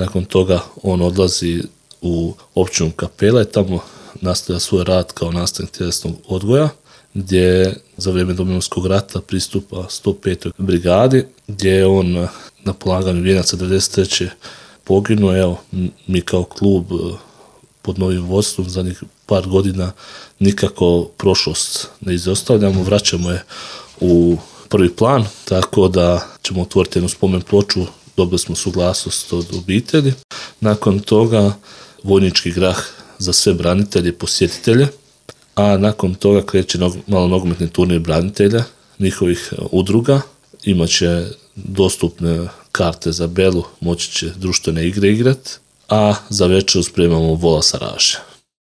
Nakon toga on odlazi u općinu Kapela i tamo nastavlja svoj rad kao nastavnik tjelesnog odgoja, gdje za vrijeme Domovinskog rata pristupa 105. brigadi, gdje je on na polaganju vijenaca 93. poginuo. Evo, mi kao klub pod novim vodstvom zadnjih par godina nikako prošlost ne izostavljamo, vraćamo je u prvi plan, tako da ćemo otvoriti jednu spomen ploču, dobili smo suglasnost od obitelji. Nakon toga vojnički grah za sve branitelje i posjetitelje, a nakon toga kreće malo nogometni turnir branitelja, njihovih udruga, imat će dostupne karte za Belu, moći će društvene igre igrati, a za večeru spremamo vola sa raže.